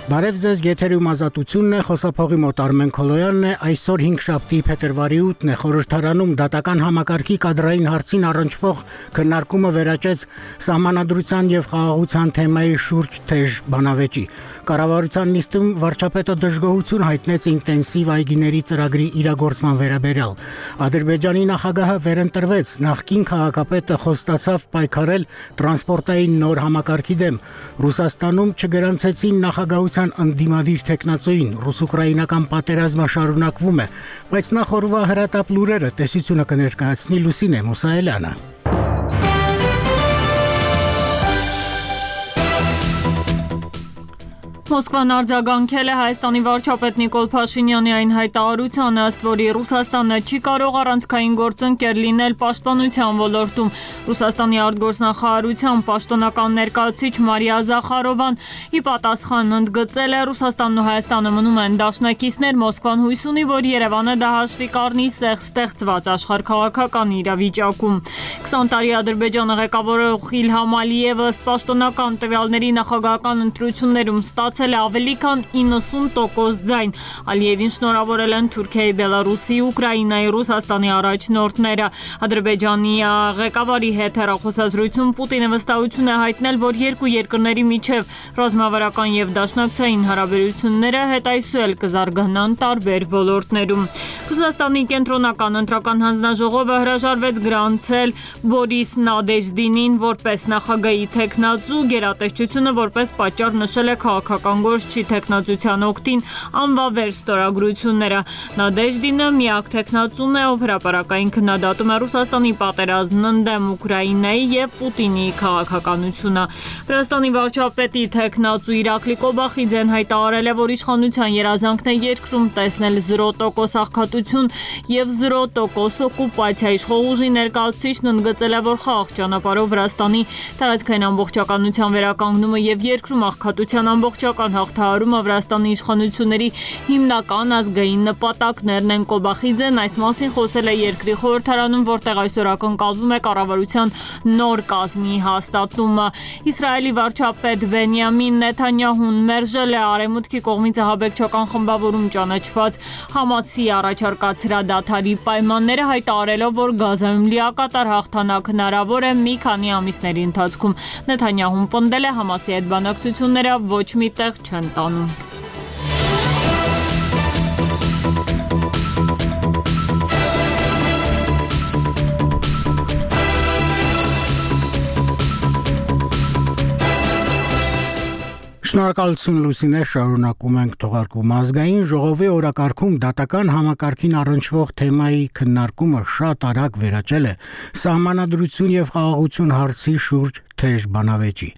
Բարև ձեզ, եթերում ազատությունն է, խոսափողի մոտ Արմեն Քոլոյանն է, այսօր 5-շաբթի փետրվարի 8-ն է, խորհրդարանում դատական համակարգի կադրային հարցին առնչվող քննարկումը վերաճեց սահմանադրության եւ խաղաղության թեմայի շուրջ թեժ բանավեճի։ Կառավարության նիստում վարչապետը դժգոհություն հայտնեց ինտենսիվ այգիների ծրագրի իրագործման վերաբերյալ։ Ադրբեջանի նախագահը վերընտրվեց, նախկին քաղաքապետը խոստացավ պայքարել տրանսպորտային նոր համակարգի դեմ։ Ռուսաստանում չգրանցեցին նախագահության ընդդիմադիր թեկնածուին, ռուս-ուկրաինական պատերազմը շարունակվում է, բայց նախ օրվա հրատապ լուրերը տեսությունը կներկայացնի Լուսինե Մուսայելյանը։ Մոսկվան արձագանքել է Հայաստանի վարչապետ Նիկոլ Փաշինյանի այն հայտարարությանը, ըստ որի Ռուսաստանը չի կարող առանցքային գործընկեր լինել պաշտպանության ոլորտում։ Ռուսաստանի արտգործնախարարության պաշտոնական ներկայացուցիչ Մարիա Զախարովան ի պատասխան ընդգծել է, Ռուսաստանն ու Հայաստանը մնում են դաշնակիցներ, Մոսկվան հույս ունի, որ Երևանը դա հաշվի կառնի ստեղծված աշխարհաքաղաքական իրավիճակում։ 20 տարի Ադրբեջանը ղեկավարող Իլհամ Ալիևը ըստ պաշտոնական տվյալների նախագահական ընտրություններում ստացել է ավելի քան 90% ձայն։ Ալիևին շնորհավորել են Թուրքիայի, Բելարուսի, Ուկրաինայի, Ռուսաստանի առաջնորդները։ Ադրբեջանի ղեկավարի հետ հեռախոսազրույցում Պուտինը վստահություն է հայտնել, որ երկու երկրների միջև ռազմավարական եւ դաշնակցային հարաբերությունները հետայսուել կզարգանան տարբեր ոլորտներում։ Ռուսաստանի կենտրոնական ընտրական հանձնաժողովը հրաժարվեց գրանցել Բորիս Նադեժդինին որպես նախագահի թեկնածու, գերատեսչությունը որպես պատճառ նշել է քաղաքական գործչի թեկնածության օգտին անվավեր ստորագրությունները։ Նադեժդինը միակ թեկնածուն է, ով հրապարակային քննադատում է Ռուսաստանի պատերազմն ընդդեմ Ուկրաինայի եւ Պուտինի քաղաքականությունը։ Վրաստանի վարչապետի թեկնածու Իրակլի Կոբախիձեն հայտարարել է, որ իշխանության երազանքն է երկրում տեսնել 0% աղքատություն եւ 0% օկուպացիա։ Իշխող ուժի ներկայացուցիչն ընդգծել է, որ խաղաղ ճանապարհով Վրաստանի տարածքային ամբողջականության վերականգնումը եւ երկրում աղքատության ամբողջական հաղթահարումը Վրաստանի իշխանությունների հիմնական ազգային նպատակներն են։ Կոբախիձեն այս մասին խոսել է երկրի խորհրդարանում, որտեղ այսօր ակնկալվում է կառավարության նոր կազմի հաստատումը։ Իսրայելի վարչապետ Բենյամին Նեթանյահուն մերժել է Արևմուտքի կողմից ահաբեկչական խմբավորում ճանաչված Համասի առաջարկած հրադադարի պայմանները, հայտարարելով, որ Գազայում լիակատար հաղթանակ հնարավոր է մի քանի ամիսների ընթացքում։ Նեթանյահուն պնդել է Համասի հետ բանակցությունները ոչ մի տեղ չեն տանում։ Շնորհակալություն Լուսինե, շարունակում ենք թողարկում։ Ազգային ժողովի օրակարգում դատական համակարգին առնչվող թեմայի քննարկումը շատ արագ վերաճել է սահմանադրություն եւ խաղաղություն հարցի շուրջ թեժ բանավեճի։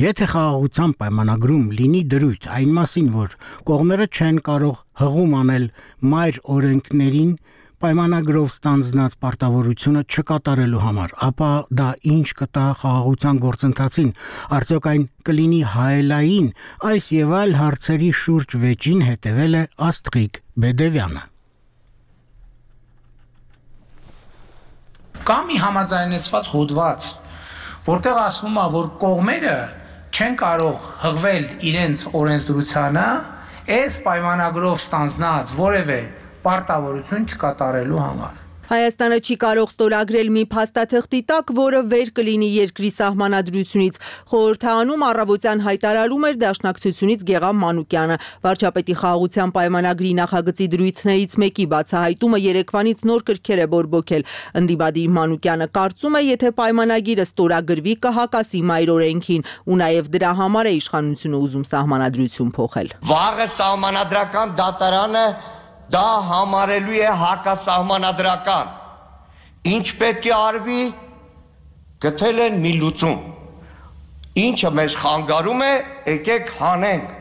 Եթե խաղաղության պայմանագրում լինի դրույթ այն մասին, որ կողմերը չեն կարող հղում անել մայր օրենքներին պայմանագրով ստանձնած պարտավորությունը չկատարելու համար, ապա դա ինչ կտա խաղաղության գործընթացին, արդյոք այն կլինի հայելային, այս եւ այլ հարցերի շուրջ վեճին հետևել է Աստղիկ Բեդևյանը։ Կա մի համաձայնեցված հոդված, որտեղ ասվում է, որ կողմերը չեն կարող հղվել իրենց օրենսդրությանը այս պայմանագրով ստանձնած որևէ պարտավորություն չկատարելու համար։ Հայաստանը չի կարող ստորագրել մի փաստաթղթի տակ, որը վեր կլինի երկրի սահմանադրությունից։ Խորհրդարանում առավոտյան հայտարարում էր Դաշնակցությունից Գեղամ Մանուկյանը։ Վարչապետի խաղաղության պայմանագրի նախագծի դրույթներից մեկի բացահայտումը երեկվանից նոր կրքեր է բորբոքել։ Ընդդիմադիր Մանուկյանը կարծում է, եթե պայմանագիրը ստորագրվի, կհակասի մայր օրենքին, ու նաև դրա համար է իշխանությունը ուզում սահմանադրություն փոխել։ Վաղը սահմանադրական դատարանը դա համարելու է հակասահմանադրական։ Ինչ պետք է արվի, գտել են մի լուծում։ Ինչը մեզ խանգարում է, եկեք հանենք։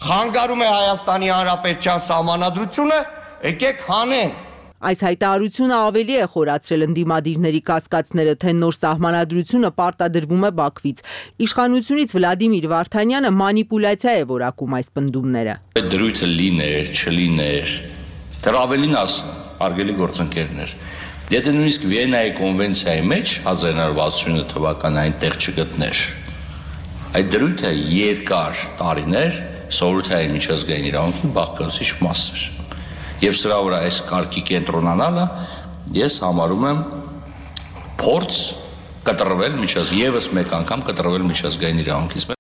Խանգարում է Հայաստանի Հանրապետության սահմանադրությունը, եկեք հանենք։ Այս հայտարարությունը ավելի է խորացրել ընդդիմադիրների կասկածները, թե նոր սահմանադրությունը պարտադրվում է Բաքվից։ Իշխանությունից Վլադիմիր Վարդանյանը մանիպուլյացիա է որակում այս պնդումները։ Դրույթը լիներ, չլիներ, դեռ ավելին արգելի գործընկերներ։ Եթե նույնիսկ Վիեննայի կոնվենցիայի մեջ 1969 թվականին այնտեղ չգտներ, այդ դրույթը երկար տարիներ սովորութային միջազգային իրավունքի բաղկացուցիչ մասեր։ Եվ սրա վրա այս կարգի կենտրոնանալը ես համարում եմ փորձ կտրվել եւս մեկ անգամ կտրվել միջազգային իրավունքից։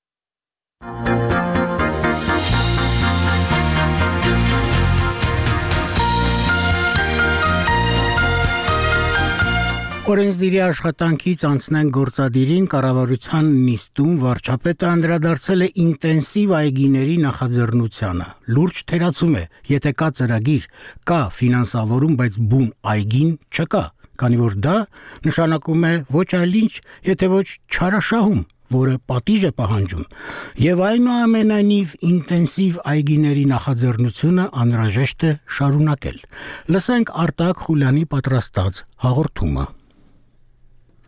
Օրենսդիրի աշխատանքից անցնեն գործադիրին կառավարության նիստում վարչապետը անդրադարձել է ինտենսիվ այգիների նախաձեռնությանը։ Լուրջ թերացում է, եթե կա ծրագիր, կա ֆինանսավորում, բայց բուն այգին չկա, քանի որ դա նշանակում է ոչ այլ ինչ, եթե ոչ չարաշահում, որը պատիժ է պահանջում, եւ այնուամենայնիվ ինտենսիվ այգիների նախաձեռնությունը անհրաժեշտ է շարունակել։ Լսենք Արտակ Խուլյանի պատրաստած հաղորդումը։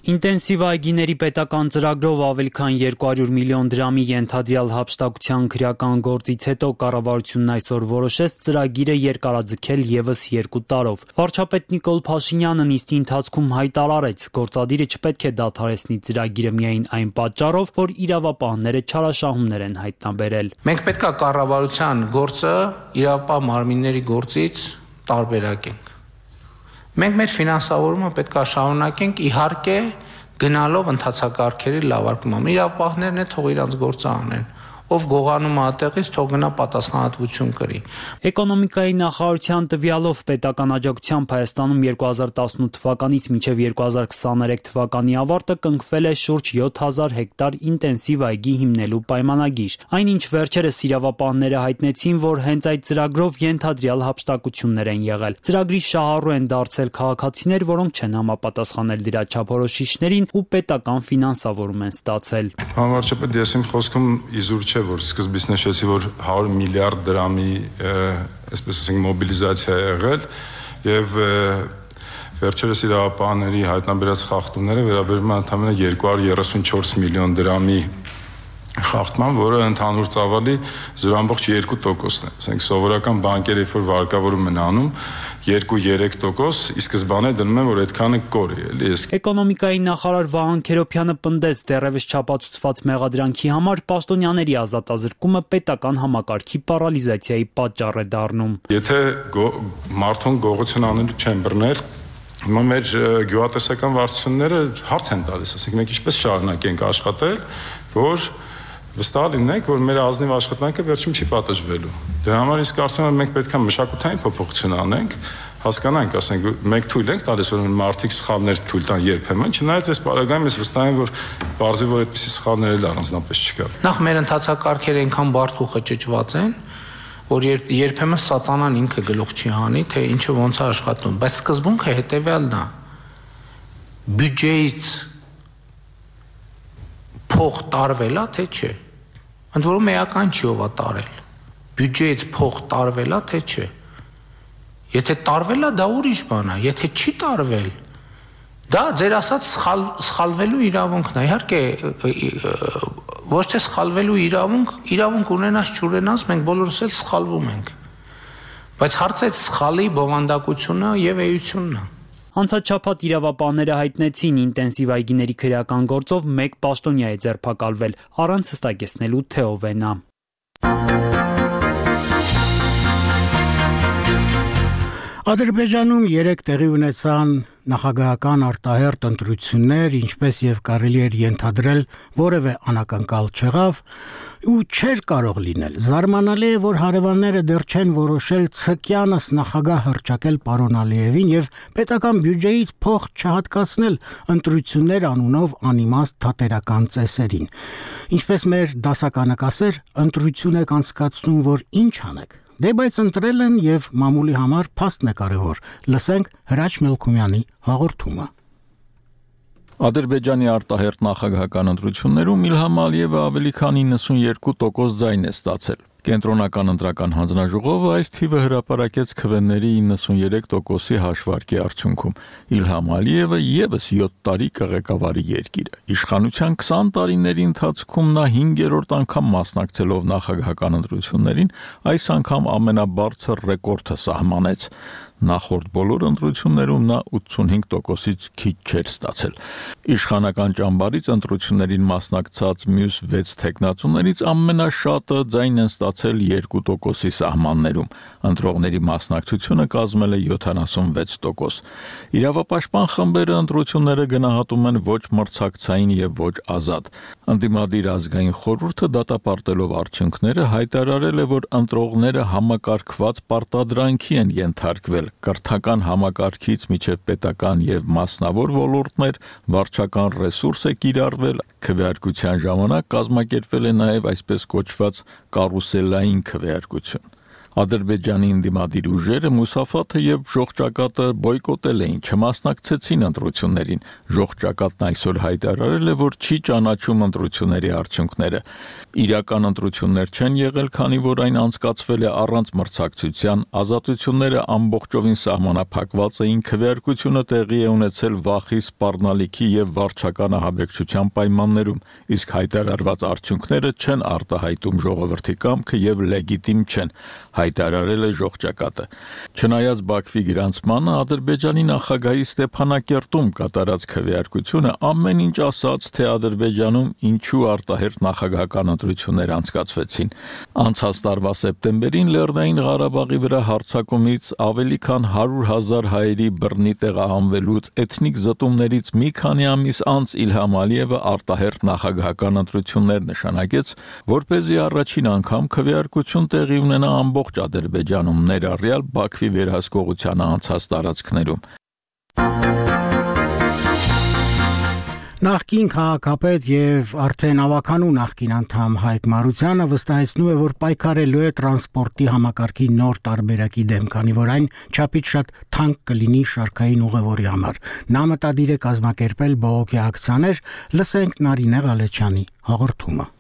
Ինտենսիվ այգիների պետական ծրագրով ավելի քան 200 միլիոն դրամի ենթադրյալ հափշտակության քրեական գործից հետո կառավարությունն այսօր որոշեց ծրագիրը երկարաձգել եւս 2 տարով։ Վարչապետ Նիկոլ Փաշինյանը նիստի ընթացքում հայտարարեց, գործադիրը չպետք է դադարեցնի ծրագիրը միայն այն պատճառով, որ իրավապահները չարաշահումներ են հայտնաբերել։ Մենք պետք է կառավարության գործը իրավապահ մարմինների գործից տարբերակենք։ Մենք մեր ֆինանսավորումը պետք է շարունակենք, իհարկե գնալով ընթացակարգերի լավարկման։ Իրավապահներն է թող իրանց գործը անեն։ Ով գողանում է այդտեղից, թող գնա պատասխանատվություն կրի։ Էկոնոմիկայի նախարարության տվյալով պետական աջակցությամբ Հայաստանում 2018 թվականից մինչև 2023 թվականի ավարտը կնքվել է շուրջ 7000 հեկտար ինտենսիվ այգի հիմնելու պայմանագիր։ Այնինչ վերջերս իրավապահները հայտնեցին, որ հենց այդ ծրագրով ենթադրյալ հափշտակություններ են եղել։ Ծրագրի շահառու են դարձել քաղաքացիներ, որոնք չեն համապատասխանել դրա չափորոշիչներին ու պետական ֆինանսավորում են ստացել։ Վարչապետ, ես իմ խոսքում իզուր չէ, որ սկզբից նշեցի, որ 100 միլիարդ դրամի, այսպես ասենք, մոբիլիզացիա է եղել եւ վերջերս իրավապահների հայտնաբերած խախտումները վերաբերում են ընդամենը 234 միլիոն դրամի խախտման, որը ընդհանուր ծավալի 0.2%-ն է։ Ասենք սովորական բանկերը, երբ որ վարկավորում են անում 2-3%, ի սկզբանե դնում են, որ այդքանը կոր է, էլի։ Էկոնոմիկայի նախարար Վահան Քերոբյանը պնդեց, դեռևս չապացուցված մեղադրանքի համար պաշտոնյաների ազատազրկումը պետական համակարգի պարալիզացիայի պատճառ է դառնում։ Եթե մարդուն գողություն անելու չեն բռնել, հիմա մեր գյուղատնտեսական վարչությունները հարց են տալիս, ասենք մենք ինչպես շարունակենք աշխատել, որ վստահ լինենք, որ մեր ազնիվ աշխատանքը վերջում չի պատժվելու։ Դրա համար իսկ կարծում եմ մենք պետք է մշակութային փոփոխություն անենք, հասկանանք, ասենք մենք թույլ ենք տալիս, որ մարդիկ սխալներ թույլ տան երբեմն, չնայած այս պարագայում ես վստահ եմ, որ բարձի որ այդպիսի սխալներ էլ առանձնապես չկան։ Նախ մեր ընթացակարգերը այնքան բարդ ու խճճված են, որ երբեմն սատանան ինքը գլուխ չի հանի, թե ինչը ոնց է աշխատում, բայց սկզբունքը հետևյալն է։ Բյուջեից փող տարվել է, թե չէ։ Ընդ որում էական չի ով է տարել։ Բյուջեից փող տարվել է, թե չէ։ Եթե տարվել է, դա ուրիշ բան է, եթե չի տարվել, դա ձեր ասած սխալվելու իրավունքն է։ Իհարկե, ոչ թե սխալվելու իրավունք ունենաս չունենաս, մենք բոլորս էլ սխալվում ենք։ Բայց հարցը սխալի բովանդակությունը եւ էությունն է։ Անցած շաբաթ իրավապահները հայտնեցին ինտենսիվ այգիների քրեական գործով 1 պաշտոնյա է ձերբակալվել, առանց հստակեցնելու թե ով է նա։ Ադրբեջանում 3 տեղի ունեցան նախագահական արտահերթ ընտրություններ, ինչպես եւ կարելի էր ենթադրել, որևէ անակնկալ չեղավ ու չէր կարող լինել։ Զարմանալի է, որ հարևանները դեռ չեն որոշել ցկյանս նախագահ հռչակել պարոն Ալիևին եւ պետական բյուջեից փող չհատկացնել ընտրություններ անունով անիմաստ թատերական ծեսերին։ Ինչպես մեր դասականը կասեր, ընտրություն եք անցկացնում, որ ինչ անեք։ Դե բայց ընտրել են եւ մամուլի համար փաստն է կարևոր։ Լսենք Հրաչ Մելքումյանի հաղորդումը։ Ադրբեջանի արտահերթ նախագահական ընտրություններում Իլհամ Ալիևը ավելի քան 92% ձայն է ստացել։ Կենտրոնական ընտրական հանձնաժողովը այս թիվը հրապարակեց քվեների 93%-ի հաշվարկի արդյունքում։ Իլհամ Ալիևը եւս 7 տարի կղեկավարի երկիրը։ Իշխանության 20 տարիների ընթացքում նա 5-րդ անգամ մասնակցելով նախագահական ընտրություններին, այս անգամ ամենաբարձր ռեկորդը սահմանեց։ Նախորդ բոլոր ընտրություններում նա 85%-ից քիչ չէր ստացել։ Իշխանական ճամբարից ընտրություններին մասնակցած մյուս 6 թեկնածուներից ամենաշատը ձայն են ստացել 2%-ի սահմաններում։ Ընտրողների մասնակցությունը կազմել է 76%։ Իրավապաշտպան խմբերը ընտրությունները գնահատում են ոչ մրցակցային եւ ոչ ազատ։ Ընդդիմադիր ազգային խորհուրդը դատապարտելով արդյունքները հայտարարել է, որ ընտրողները համակարգված պարտադրանքի են ենթարկվել կրթական համակարգից մինչև պետական եւ մասնավոր ոլորտներ, վարչական ռեսուրս է կիրառվել, քվեարկության ժամանակ կազմակերպվել է նաեւ այսպես կոչված կարուսելային քվեարկություն։ Ադրբեջանի ընդդիմադիր ուժերը Մուսաֆաթը եւ Ժողջակատը բոյկոտել էին, չմասնակցեցին ընտրություններին։ Ժողջակատն այսօր հայտարարել է, որ չի ճանաչում ընտրությունների արդյունքները։ Իրական ընտրություններ չեն եղել, քանի որ այն անցկացվել է առանց մրցակցության, ազատությունները ամբողջովին սահմանափակված էին, քվեարկությունը տեղի է ունեցել վախի, սպառնալիքի եւ վարչական ահաբեկչության պայմաններում, իսկ հայտարարված արդյունքները չեն արտահայտում ժողովրդի կամքը եւ լեգիտիմ չեն, հայտարարել է Ժողջակատը։ Չնայած Բաքվի գրանցմանը, Ադրբեջանի նախագահի Ստեփանակերտում կատարած քվեարկությունը ամեն ինչ ասաց, թե Ադրբեջանում ինչու արտահերթ նախագահական ընտրություններ անցկացվեցին։ Անցած տարվա սեպտեմբերին Լեռնային Ղարաբաղի վրա հարձակումից ավելի քան 100,000 հայերի բռնի տեղահանվելուց, էթնիկ զտումներից մի քանի ամիս անց Իլհամ Ալիևը արտահերթ նախագահական ընտրություններ նշանակեց, որպեսզի առաջին անգամ քվեարկություն տեղի ունենա ամբողջ Ադրբեջանում, ներառյալ Բաքվի վերահսկողությանը անցած տարածքներում։ Նախկին քաղաքապետ եւ արդեն ավականու նախկին անդամ Հայկ Մարությանը վստահեցնում է, որ պայքարելու է տրանսպորտի համակարգի նոր տարբերակի դեմ, քանի որ այն չափից շատ թանկ կլինի շարքային ուղևորի համար։ Նա մտադիր է կազմակերպել բողոքի ակցիաներ, լսենք Նարինե Ղալեչյանի հաղորդումը։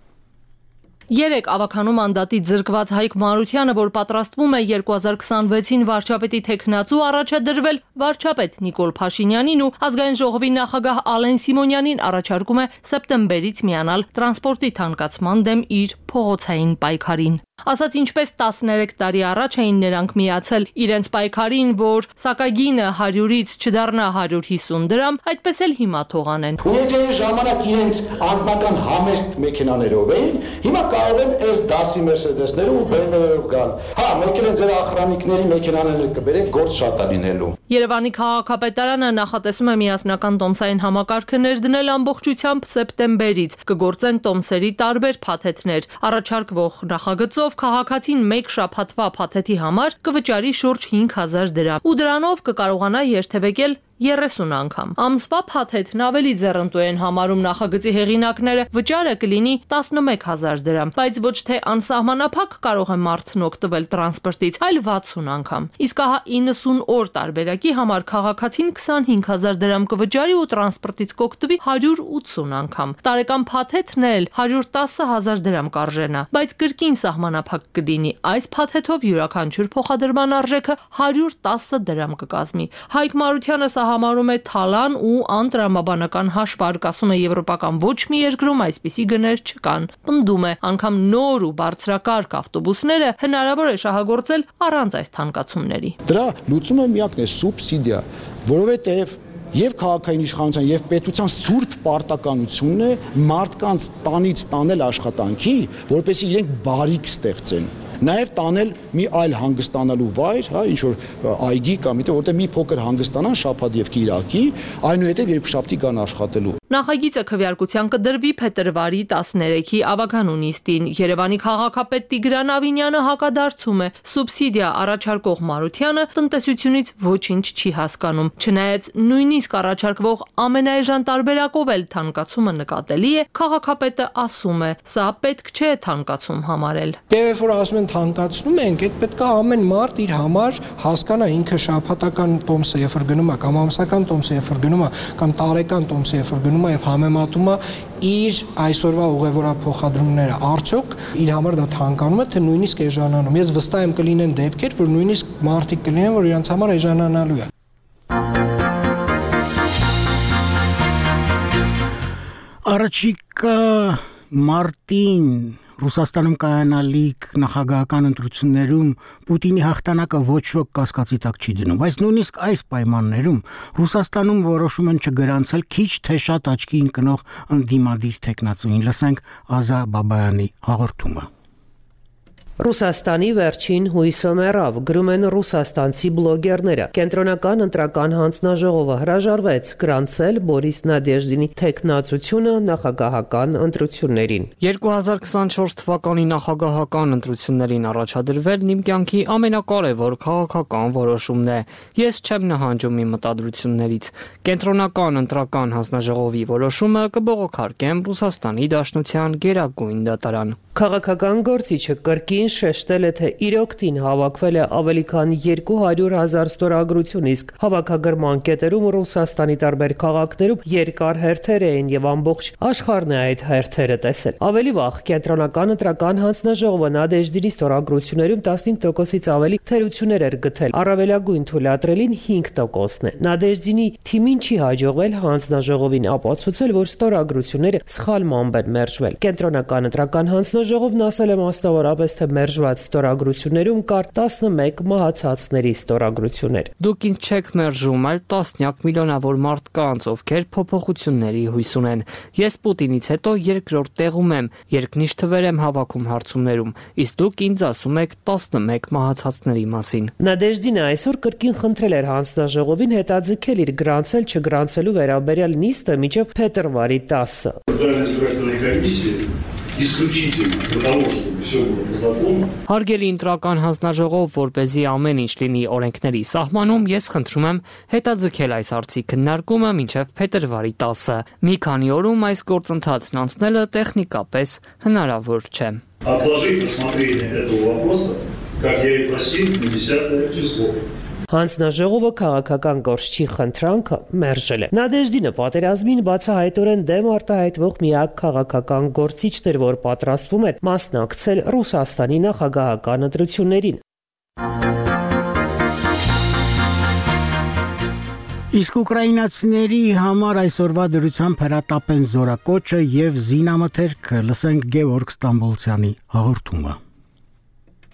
Երեք ավականու մանդատից զրկված Հայկ Մարությանը, որ պատրաստվում է 2026-ին վարչապետի թեկնածու առաջադրվել, վարչապետ Նիկոլ Փաշինյանին ու ազգային ժողովի նախագահ Ալեն Սիմոնյանին առաջարկում է սեպտեմբերից միանալ տրանսպորտի թանկացման դեմ իր փողոցային պայքարին։ Ասած ինչպես 13 տարի առաջ էին նրանք միացել իրենց պայքարին, որ սակագինը 100-ից չդառնա 150 դրամ, այդպես էլ հիմա թողանեն։ Եթե ժամանակ իրենց անձնական համեստ մեքենաներով էին, հիմա կարող են այս դասի Mercedes-ները ու BMW-երով գալ։ Հա, մեկ էլ ձեր ախրանիկների մեքենաները կբերեն, գործ շատ է լինելու։ Երևանի քաղաքապետարանը նախատեսում է միասնական տոմսային համակարգը ներդնել ամբողջությամբ սեպտեմբերից։ Կգործեն տոմսերի տարբեր փաթեթներ։ Առաջարկվող նախագծով քաղաքացին մեկ շաբաթվա փաթեթի համար կվճարի շուրջ 5000 դրամ ու դրանով կկարողանա երթևեկել 30 անգամ։ Ամսվա փաթեթն ավելի ձեռնտու են համարում նախագծի հեղինակները, վճարը կլինի 11000 դրամ, բայց ոչ թե անսահմանափակ կարող է մարդն օգտվել տրանսպորտից, այլ 60 անգամ։ Իսկ ահա 90 օր տարբերակի համար քաղաքացին 25000 դրամ կվճարի ու տրանսպորտից կօգտվի 180 անգամ։ Տարեկան փաթեթն էլ 110000 դրամ կարժենա, բայց կրկին սահմանափակ կլինի։ Այս փաթեթով յուրաքանչյուր փոխադրման արժեքը 110 դրամ կկազմի։ Հայկ Մարությանը համարում է թալան ու անտրամաբանական հաշվարկ, ասում է եվրոպական ոչ մի երկրում այսպիսի գներ չկան։ Պնդում է, անգամ նոր ու բարձրակարգ ավտոբուսները հնարավոր է շահագործել առանց այս թանկացումների։ Դրա լուծումը միակն է սուբսիդիա, որովհետև եւ քաղաքային իշխանության եւ պետության սուրբ պարտականությունն է մարդկանց տանից տանել աշխատանքի, որպեսզի իրենք բարիք ստեղծեն։ Նաև տանել մի այլ հանգստանալու վայր, հա, ինչ որ այգի կամ որտեղ մի փոքր հանգստանան շաբաթ եւ կիրակի, այնուհետեւ երկուշաբթի կան աշխատելու։ Նախագիծը քվեարկության կդրվի փետրվարի 13-ի ավականու նիստին։ Երևանի քաղաքապետ Տիգրան Ավինյանը հակադարձում է, սուբսիդիա առաջարկող Մարությանը տնտեսությունից ոչինչ չի հասկանում։ Չնայած նույնիսկ առաջարկվող ամենաէժան տարբերակով էլ թանկացումը նկատելի է, քաղաքապետը ասում է, սա պետք չէ թանկացում համարել։ Եվ որ ասում են թանկացնում ենք, այդ պետք է ամեն մարդ իր համար հասկանա ինքը շաբաթական տոմսը երբ որ գնում է կամ ամսական տոմսը երբ որ գնում է կամ տարեկան տոմսը երբ որ գնում է եւ համեմատում է իր այսօրվա ուղևորափոխադրումները արդյոք իր համար դա թանկանում է թե նույնիսկ էժանանում։ Ես վստահ եմ կլինեն դեպքեր, որ նույնիսկ մարդիկ կլինեն, որ իրենց համար էժանանալու է։ Առաջիկա մարտին Ռուսաստանում կայանալիք նախագահական ընտրություններում Պուտինի հաղթանակը ոչ ոք կասկածի տակ չի դնում, բայց նույնիսկ այս պայմաններում Ռուսաստանում որոշում են չգրանցել քիչ թե շատ աչքի ընկնող ընդդիմադիր թեկնածուին։ Լսենք Ազա Բաբայանի հաղորդումը։ Ռուսաստանի վերջին հույսը մեռավ, գրում են ռուսաստանցի բլոգերները։ Կենտրոնական ընտրական հանձնաժողովը հրաժարվեց գրանցել Բորիս Նադեժդինի թեկնածությունը նախագահական ընտրություններին։ 2024 թվականի նախագահական ընտրություններին առաջադրվելն իմ կյանքի ամենակարևոր քաղաքական որոշումն է։ Ես չեմ նահանջում իմ մտադրություններից։ Կենտրոնական ընտրական հանձնաժողովի որոշումը կբողոքարկեմ Ռուսաստանի Դաշնության գերագույն դատարան։ Քաղաքական գործիչը կրկին շեշտել է, թե իր օգտին հավաքվել է ավելի քան 200,000 ստորագրություն, իսկ հավաքագրման կետերում Ռուսաստանի տարբեր քաղաքներում երկար հերթեր էին եւ ամբողջ աշխարհն է այդ հերթերը տեսել։ Ավելի վաղ կենտրոնական ընտրական հանձնաժողովը Նադեժդինի ստորագրություններում 15%-ից ավելի թերություններ էր գտել, առավելագույն թույլատրելին 5%-ն է։ Նադեժդինի թիմին չի հաջողվել հանձնաժողովին ապացուցել, որ ստորագրությունները սխալմամբ են մերժվել։ Կենտրոնական ընտրական հանձնաժողովն ասել է մասնավորապես, թե մերժված ստորագրություններում կար 11 մահացածների ստորագրություններ։ Դուք ինձ չեք մերժում, այլ տասնյակ միլիոնավոր մարդկանց, ովքեր փոփոխությունների հույս ունեն։ Ես Պուտինից հետո երկրորդ տեղում եմ, երկնիշ թվեր եմ հավաքում հարցումներում, իսկ դուք ինձ ասում եք 11 մահացածների մասին։ Նադեժդինը այսօր կրկին խնդրել էր հանձնաժողովին հետաձգել իր գրանցել չգրանցելու վերաբերյալ նիստը մինչև փետրվարի 10-ը։ Հարգելի ընտրական հանձնաժողով, որպեսզի ամեն ինչ լինի օրենքների սահմանում, ես խնդրում եմ հետաձգել այս հարցի քննարկումը մինչև փետրվարի 10-ը։ Մի քանի օրում այս գործընթացն անցնելը տեխնիկապես հնարավոր չէ։ Отложить рассмотрение этого вопроса, как я и просил, на 10 число. Հանձնաժողովը քաղաքական գործչի խնդրանքը մերժել է։ Նադեժդինը պատերազմին բացահայտորեն դեմ արտահայտվող միակ քաղաքական գործիչն էր, որ պատրաստվում էր մասնակցել Ռուսաստանի նախագահական ընտրություններին։ Իսկ ուկրաինացիների համար այսօրվա դրությամբ հրատապեն զորակոչը եւ զինամթերքը, լսենք Գևորգ Ստամբոլցյանի հաղորդումը։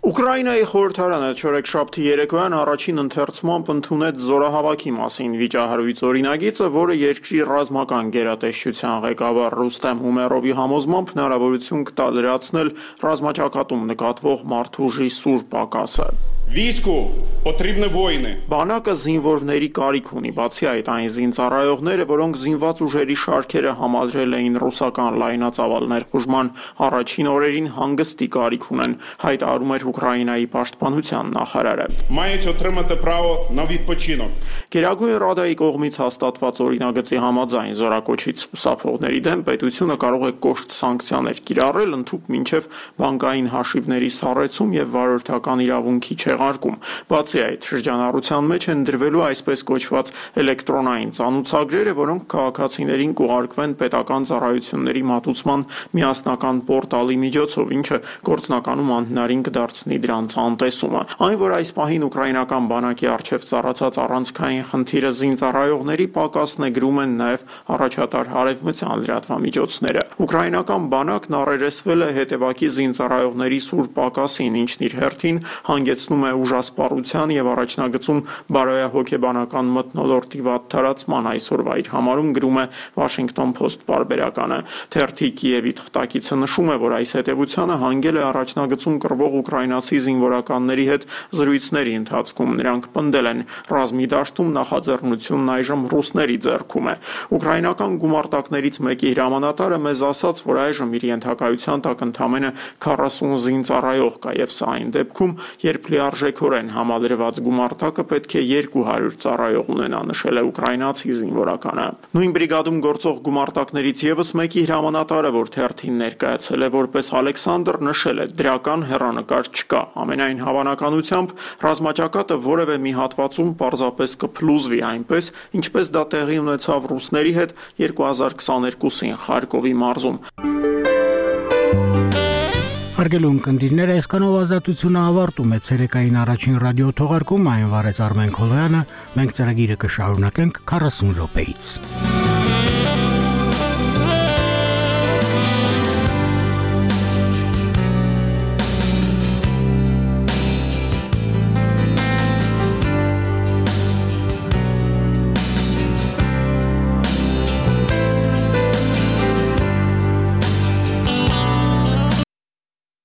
Ուկրաինայի խորհրդարանը չորեքշաբթի երեկոյան առաջին ընթերցմամբ ընդունեց զորահավաքի մասին վիճահարույց օրինագիծը, որը երկրի ռազմական գերատեսչության ղեկավար Ռուստեմ Հումերովի համոզմամբ հնարավորություն կտա լրացնել ռազմաճակատում նկատվող մարդուժի սուր պակասը։ Վիսկու потрібні воїни։ Բանակը զինվորների կարիք ունի, բացի այդ այն զինծառայողները, որոնք զինված ուժերի շարքերը համալրել էին ռուսական լայնածավալ ներխուժման առաջին օրերին, հանգստի կարիք ունեն, հայտարարում էր Ուկրաինայի պաշտպանության նախարարը։ Мають отримати право на відпочинок։ Գերագույն ռադայի կողմից հաստատված օրինագծի համաձայն զորակոչից խուսափողների դեմ պետությունը կարող է կոշտ սանկցիաներ կիրառել, ընդհուպ մինչև բանկային հաշիվների սառեցում եւ վարորդական իրավունքի չեղարկում։ Բացի այդ, շրջանառության մեջ են դրվելու այսպես կոչված էլեկտրոնային ծանուցագրերը, որոնք քաղաքացիներին կուղարկվեն պետական ծառայությունների մատուցման միասնական պորտալի միջոցով, ինչը գործնականում անհնարին կդարձնի դրանց անտեսումը։ Այն, որ այս պահին ուկրաինական բանակի առջև ծառացած առանցքային խնդիրը զինծառայողների պակասն է, գրում են նաև առաջատար հարևմտյան լրատվամիջոցները։ Ուկրաինական բանակն առերեսվել է հետևակի զինծառայողների սուր պակասին, ինչն իր հերթին հանգեցնում է ուժասպառության եւ առաջնագծում բարոյահոգեբանական մթնոլորտի վատ տարածման, այսօրվա իր համարում գրում է Washington Post պարբերականը։ Թերթի Կիևի թղթակիցը նշում է, որ այս հետևությանը հանգել է առաջնագծում կռվող ուկրաինացի զինվորականների հետ զրույցների ընթացքում։ Նրանք պնդել են, ռազմի դաշտում նախաձեռնությունն այժմ ռուսների ձեռքում է։ Ուկրաինական գումարտակներից մեկի հրամանատարը մեզ ասաց, որ այժմ իր ենթակայության տակ ընդամենը 40 զինծառայող կա եւ սա այն դեպքում, երբ լիարժեքորեն համալրված գումարտակը պետք է 200 ծառայող ունենա, նշել է ուկրաինացի զինվորականը։ Նույն բրիգադում գործող գումարտակներից եւս մեկի հրամանատարը, որ թերթին ներկայացել է որպես Ալեքսանդր, նշել է, դրական հեռանկար չկա։ Ամենայն հավանականությամբ ռազմաճակատը որևէ մի հատվածում պարզապես կփլուզվի այնպես, ինչպես դա տեղի ունեցավ ռուսների հետ 2022-ին Խարկովի մարզում։ Հարգելի ունկնդիրներ, այսքանով ազատությունը ավարտում է ցերեկային առաջին ռադիո թողարկումը, այն վարեց Արմեն Քոլոյանը, մենք ծրագիրը կշարունակենք 40 րոպեից։